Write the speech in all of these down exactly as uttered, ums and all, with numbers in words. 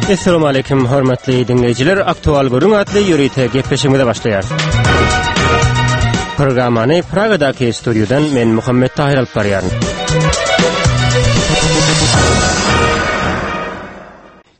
Essalamu aleýkum, hormatly diňleýjiler. Aktual gürrüň atly ýörite gepleşigimize başlaýarys. Programmany Pragadaky studiýadan men Muhammet Tahir alyp barýaryn.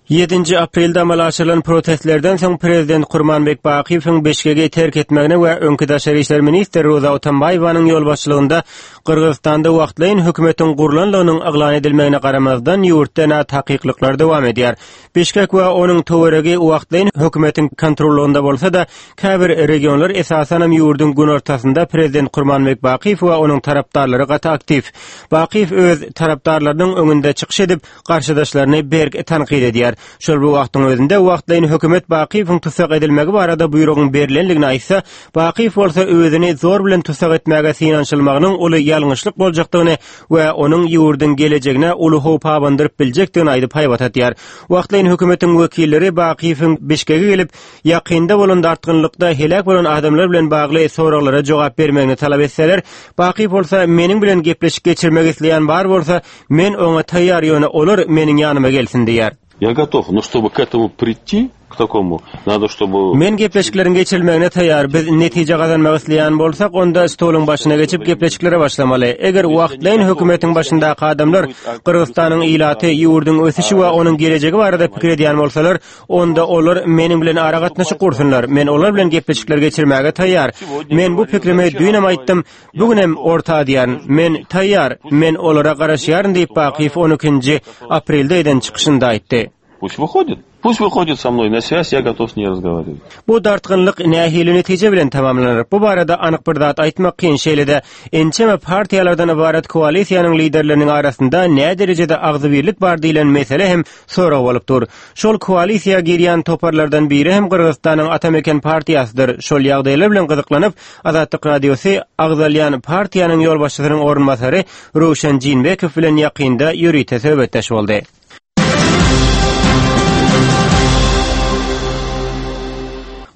Ýedinji aprelde amala aşyrylan protestlerden soň prezident Kurmanbek Bakyýewiň Bişkegi terk etmegine we öňki daşary işler ministri Roza Otunbaýewanyň ýolbaşçylygynda Gyrgyzystanda wagtlaýyn hökümetiň gurlanlygynyň yglan edilmegine garamazdan ýurtda nätakyklyklar dowam edýär. Bişkek we onuň töweregi wagtlaýyn hökümetiň kontrollygynda bolsa-da, käbir regionlar, esasanam ýurduň günortasynda prezident Kurmanbek Bakyýew we onuň tarapdarlary gaty aktiw. Bakyýew öz tarapdarlarynyň öňünde çykyş edip, garşydaşlaryny berk tankyt edýär. Şol bir wagtyň özünde wagtlaýyn hökümet Bakyýewiň tussag edilmegi barada buýrugyň berlenligini aýtsa, Bakyýew bolsa özüni zor bilen tussag etmäge synanyşylmagynyň uly ýalňyşlyk boljakdygyny we onuň ýurduň gelejegine uly howp abandyryp biljekdigini aýdyp haýbat atýar. Wagtlaýyn hökümetiň wekilleri Bakyýewiň Bişkege gelip, ýakynda bolan dartgynlykda heläk bolan adamlar bilen bagly soraglara jogap bermegini talap etseler, Bakyýew bolsa meniň bilen gepleşik geçirmek isleýän bar bolsa, men oňa taýýar, ýöne olar meniň ýanyma gelsin diýýär. Я готов, но чтобы к этому прийти, к такому, надо, чтобы... Men gepleşikleriň geçirilmegine taýýar. Biz netije gazanmak isleýän bolsak, onda stoluň başyna geçip gepleşiklere başlamaly. Eger wagtlaýyn hökümetiň başyndaky adamlar Gyrgyzystanyň ilaty, ýurduň ösüşi we onuň gelejegi barada pikir edýän bolsalar, onda olar meniň bilen aragatnaşyk gursunlar. Men olar bilen gepleşikler geçirmäge taýýar. Men bu pikrimi düýnem aýtdym, bu günem orta atýaryn. Men taýýar, men olara garaşýaryn diýip Bakyýew on ikinji aprelde eden çykyşynda aýtdy. Пусть выходит. Пусть выходит со мной на связь, я готов с ней разговаривать. Bu dartgynlyk nähili netije bilen tamamlanar? Bu barada anyk bir zat aýtmak kyn. Şeýle-de ençeme partiýalardan ybarat koalisiýanyň liderleriniň arasynda nä derejede agzybirlik bar diýlen mesele hem sorag bolup dur. Şol koalisiýa girýän toparlardan biri hem Gyrgyzystanyň Atameken partiýasydyr. Şol ýagdaýlar bilen gyzyklanyp, Azatlyk Radiosy agzalýan partiýanyň ýolbaşçysynyň orunbasary Röwşen Jinbekow bilen ýakynda ýörite söhbetdeş boldy.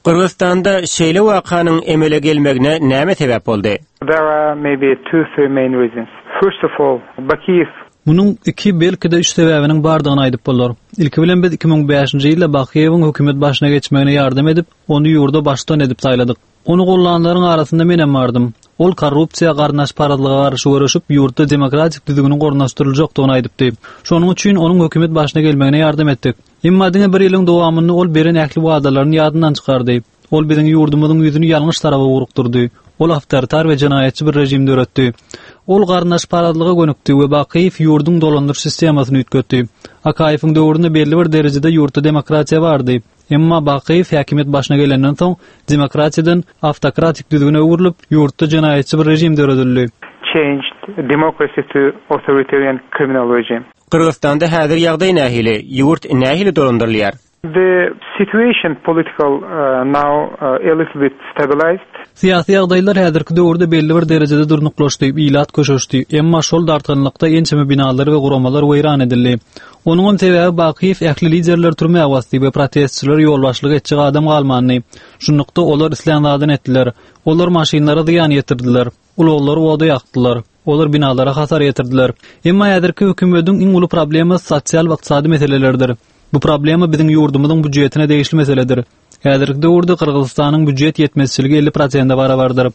Gyrgyzystanda şeýle wakanyň emele gelmegine näme sebäp boldy? There are maybe two, three main reasons. First of all, Bakiyev Munuň iki, belki-de üç sebäbiniň bardygyny aýdyp bolar. Ilki bilen biz iki müň bäşinji ýylda Bakyýewiň hökümet başyna geçmegine ýardam edip, ony ýurda baştutan edip saýladyk. Ony gollanlaryň arasynda menem bardym. Ol korrupsiýa, garyndaşparazlyga garşy göreşip, ýurtda demokratik düzgüniň ornaşdyryljakdygyny aýdypdy. Şonuň üçin onuň hökümet başyna gelmegine ýardam etdik. Emma diňe bir ýylyň dowamynda ol beren ähli wadalaryny ýadyndan çykardy. Ol biziň ýurdumyzyň ýüzüni ýalňyş tarapa ugrukdyrdy. Ol awtoritar we jenaýatçy bir režim döretdi. Ol garyndaşparazlyga gönükdi we Bakyýew ýurduň dolandyryş sistemasyny üýtgetdi. Akaýewiň döwründe belli bir derejede ýurtda demokratiýa bardy. Emma Bakyýew häkimiýet başyna gelenden soň demokratiýadan awtokratik düzgüne öwrülip, ýurtda jenaýatçy bir režim döredildi. Changed democracy to authoritarian criminal regime. Gyrgyzystanda häzir ýagdaý nähili? Ýurt nähili dolandyrylýar? The situation political, uh, now, uh, a little bit stabilized. Syýasy ýagdaýlar häzirki döwürde belli bir derejede durnuklaşdy, ilat köşeşdi. Emma şol dartgynlykda ençeme binalar we guramalar weýran edildi. Onuň sebäbi Bakyýew ähli liderler türmä basdy we protestçiler ýolbaşçylyk etjek adam galmandy. Şunlukda olar islän zadyny etdiler. Olar maşynlara zyýan ýetirdiler. Ulaglary oda ýakdylar. Olar binalara hasar ýetirdiler. Emma häzirki hökümetiň iň uly problemasy sosial we ykdysady meselelerdir. Bu problema biziň ýurdumyzyň býujetine degişli meseledir. Häzirki döwürde Gyrgyzystanyň býujet ýetmezçiligi elli prosente barabardyr.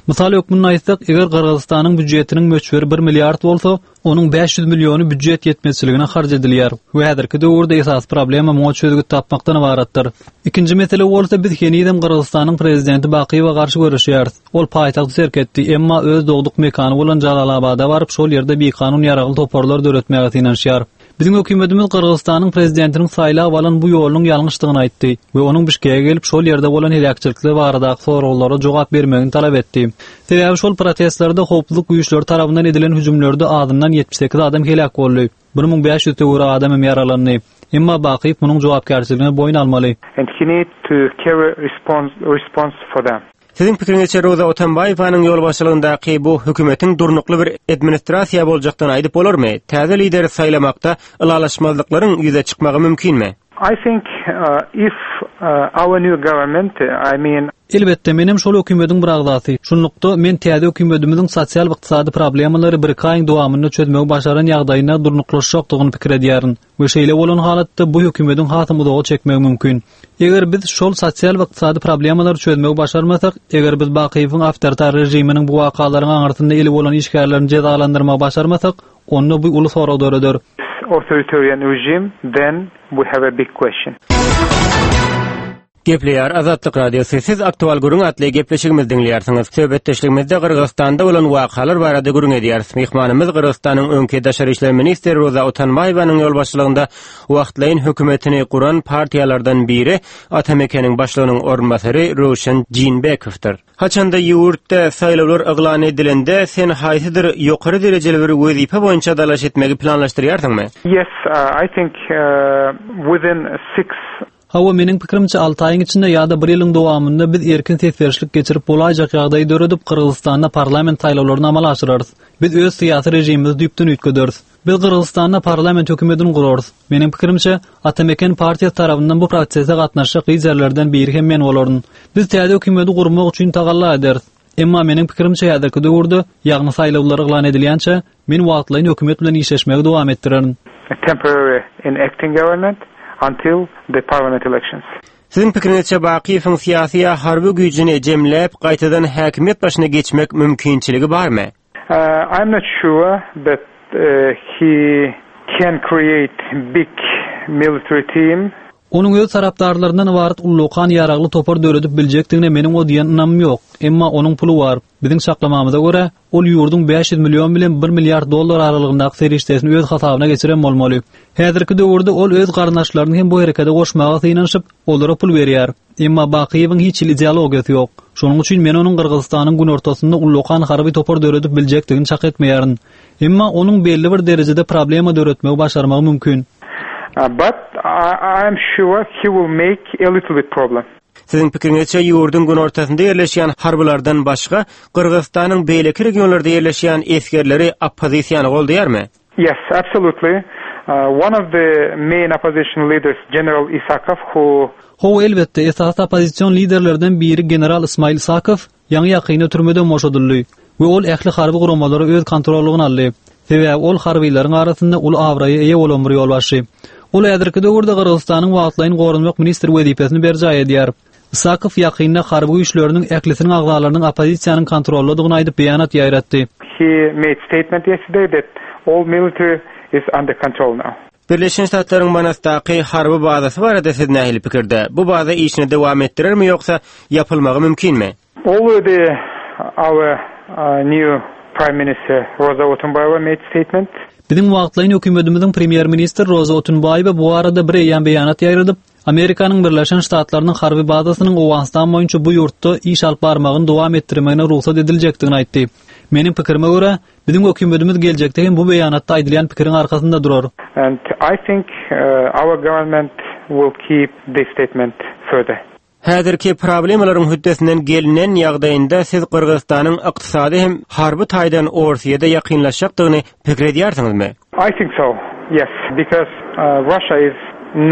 Mysal hökmünde aýtsak, eger Gyrgyzystanyň býujetiniň möçberi bir milliard bolsa, onuň bäş ýüz milliony býujet ýetmezçiligine harç edilýär we häzirki döwürde esasy problema muňa çözgüt tapmakdan ybaratdyr. Ikinji mesele bolsa biz henizem Gyrgyzystanyň prezidenti Bakyýewe garşy göreşýäris. Ol paýtagty terk etdi, emma öz dogduk mekany bolan Jalalabada baryp, şol ýerde bikanun ýaragly toparlar döretmäge synanyşýar. Biziň hökümetimiz Gyrgyzystanyň prezidentiniň saýlap alan bu ýolunyň ýalňyşdygyny aýtdy we onuň Bişkege gelip şol ýerde bolan heläkçilikler baradaky soraglara jogap bermegini talap etdi. Sebäbi şol protestlerde howpsuzlyk güýçleri tarapyndan edilen hüjümlerde azyndan ýetmiş sekiz adam heläk boldy. bir müň bäş ýüz töweregi adam hem ýaralandy. Emma Bakyýew munuň jogapkärçiligini boýun almaly. And he need to carry response, response for them. Siziň pikiriňizçe Roza Otunbaýewanyň ýolbaşçylygyndaky bu hökümetiň durnukly bir administrasiýa boljakdygyny aýdyp bolarmy? Täze lideri saýlamakda ylalaşmazlyklaryň ýüze çykmagy mümkinmi? I think uh, if uh, our new government, I mean Elbetde, menem şol hökümetiň bir agzasy. Şunlukda men täze hökümetimiziň sosial ykdysady problemalary bir aýyň dowamynda çözmegi başaran ýagdaýyna durnuklaşjakdygyny pikir edýärin we şeýle bolan halatda bu hökümetiň hasam uzaga çekmegi mümkin. Eger biz şol sosial ykdysady problemalary çözmegi başarmasak, eger biz Bakyýewiň awtoritar režiminiň bu wakalaryň aňyrsynda eli bolan işgärlerini jezalandyrmagy başarmasak, onda bu uly sorag döreder. authoritarian regime, then we have a big question. Gepleýär Azatlyk Radiosy. Siz aktual gürrüň atly gepleşigimizi diňleýärsiňiz. Söhbetdeşligimizde Gyrgyzystanda bolan wakalar barada gürrüň edýäris. Myhmanymyz Gyrgyzystanyň öňki daşary işler ministri Roza Otunbaýewanyň ýolbaşçylygynda wagtlaýyn hökümetini guran partiýalardan biri Atamekeniň başlygynyň orunbasary Röwşen Jeenbekowdyr. Haçanda ýurtda saýlawlar yglan edilende sen haýsydyr ýokary derejeli bir wezipe boýunça dalaş etmegi planlaşdyrýarsyňmy? Yes, uh, I think uh, within six Hawa meniň pikirimçe alty aýyň içinde ýa-da bir ýylyň dowamynda biz erkin ses berişlik geçirip bolaýjak ýagdaýy döredip Gyrgyzystanda parlament saýlawlaryny amala aşyrarys. Biz öz syýasy režimimizi düýpden üýtgederis. Biz Gyrgyzystanda parlament hökümetini gurarys. Meniň pikirimçe Atameken partiýasy tarapyndan bu prosese gatnaşjak liderlerden biri hem men bolaryn. Biz täze hökümeti gurmak üçin tagalla ederis. Emma meniň pikirimçe häzirki döwürde, ýagny saýlawlar yglan edilýänçe, men wagtlaýyn hökümet bilen işleşmegi dowam etdirerin. a temporary in acting government until the parliament elections. Siziň pikiriňizçe Bakyýewiň syýasy ýa harby güýjüni jemläp gaýtadan häkimiýet başyna geçmek mümkinçiligi barmy? Uh, I'm not sure that uh, he can create big military team. Onuň öz tarapdarlaryndan ybarat ullakan ýaragly topar döredip biljekdigine meniň o diýen ynamym ýok. Emma onuň puly bar. Biziň çaklamamyza görä, ol ýurduň bäş ýüz million bilen bir milliard dollar aralygyndaky serişdesini öz hasabyna geçiren bolmaly. Häzirki döwürde ol öz garyndaşlaryny hem bu herekete goşmaga synanyşyp, olara pul berýär. Emma Bakyýewiň hiç hili ideologiýasy ýok. Şonuň üçin men onuň Gyrgyzystanyň günortasynda ullakan harby topar döredip biljekdigini çak etmeýärin. Emma onuň belli bir derejede problema döretmegi başarmagy mümkin. Uh, but I, I'm sure he will make a little bit problem. Siziň pikiriňizçe ýurduň günortasynda ýerleşýän harbylardan başga Gyrgyzystanyň beýleki regionlarda ýerleşýän esgerleri oppozisiýany goldaýarmy? Yes, absolutely. Uh, one of the main opposition leaders, General Isakov, who Hawa elbetde esasy oppozision liderlerden biri General Ismail Isakow ýaňy ýakynda türmeden boşadyldy we ol ähli harby guramalary öz kontrollygyna aldy. Sebäbi ol harbylaryň arasynda uly abraýa eýe bolan bir ýolbaşçy. Ol häzirki döwürde Gyrgyzystanyň wagtlaýyn goranmak ministri wezipesini berjaý edýär. Isakow ýakynda harby güýçleriniň ählisiniň agzalarynyň oppozisiýanyň kontrolladygyny aýdyp beýanat ýaýratdy. he made statement yesterday that all military is under control now. Birleşen Ştatlaryň Manasdaky harby bazasy barada siz nähili pikirde? Bu baza işini dowam etdirermi ýoksa ýapylmagy mümkinmi? Already our uh, new Prime Minister Roza Otunbayeva made statement. Biziň wagtlaýyn hökümetimiziň premýer ministri Roza Otunbaýewa bu arada bir eýýäm beýanat ýaýradyp, Amerikanyň Birleşen Ştatlarynyň harby bazasynyň Owganystan boýunça bu ýurtda iş alyp barmagyny dowam etdirmegine rugsat ediljekdigini aýtdy. Meniň pikirime görä, biziň hökümetimiz geljekde hem bu beýanatda aýdylýan pikiriň arkasynda durar. And I think uh, our government will keep this statement further. Häzirki problemalaryň hötdesinden gelinen ýagdaýynda siz Gyrgyzystanyň ykdysady hem harby taýdan Orsiýada ýakynlaşjakdygyny pikir edýärsiňizmi? I think so, yes, because uh, Russia is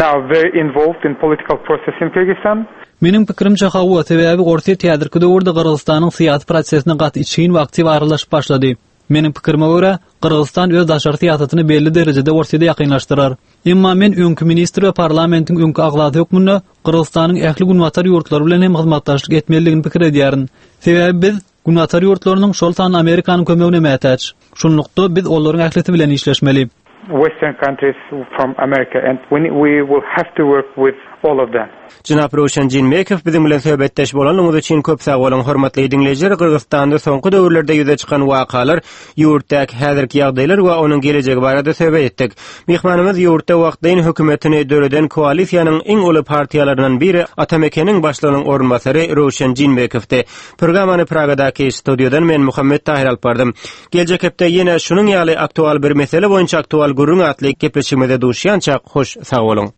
now very involved in political process in Kyrgyzstan. Meniň pikirimçe hawa, sebäbi Orsiýa häzirki döwürde Gyrgyzystanyň syýasy prosesine gaty içgin we aktiw aralaşyp başlady. Meniň pikirime görä, Gyrgyzystan öz daşary syýasatyny belli derejede Orsiýada ýakynlaşdyrar. Emma men öňki ministr we parlamentiň öňki agzasy hökmünde Gyrgyzystanyň ähli günbatar ýurtlary bilen hem hyzmatdaşlyk etmelidigini pikir edýärin. Sebäbi biz günbatar ýurtlarynyň şol sanda Amerikanyň kömegine mätäç. Şunlukda biz olaryň ählisi bilen işleşmeli. Western countries from America, and we, we will have to work with all of them. Jenap Röwşen Jeenbekow biziň bilen söhbetdeş bolanyňyz üçin köp sag boluň. Hormatly diňleýjiler, Gyrgyzystanda soňky döwürlerde ýüze çykan wakalar, ýurtdaky häzirki ýagdaýlar we onuň gelejegi barada söhbet etdik. Myhmanymyz ýurtda wagtlaýyn hökümetini döreden koalisiýanyň iň uly partiýalaryndan biri Atamekeniň başlygynyň orunbasary Röwşen Jeenbekowdy. Programmany Pragadaky studiýadan men Muhammet Tahir alyp bardym. Geljek hepde ýene şunuň ýaly aktual bir mesele boýunça aktual gürrüň atly gepleşigimize duşýança hoş sag boluň.